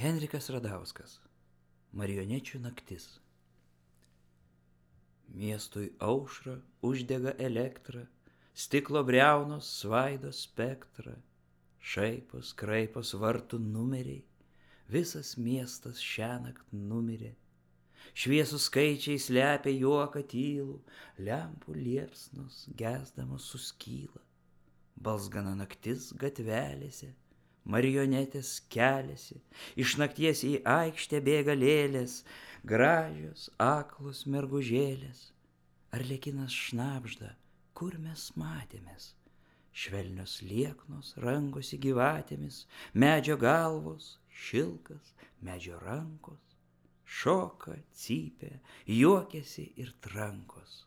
Henrikas Radauskas. Marionečių naktis. Miestui aušra uždega elektrą, stiklo briaunos svaido spektrą, šaipos, kraipos vartų numeriai, visas miestas šiąnakt numirė. Šviesūs skaičiai slepia juoką tylų, lempų liepsnos gesdamos suskyla. Balsgana naktis gatvelėse, marionetės keliasi, iš nakties į aikštę bėga lėlės, gražios, aklos mergužėlės. Arlekinas šnabžda, kur mes matėmės, švelnios lieknos rangosi gyvatėmis, medžio galvos, šilkas, medžio rankos, šoka, cypia, juokiasi ir trankos.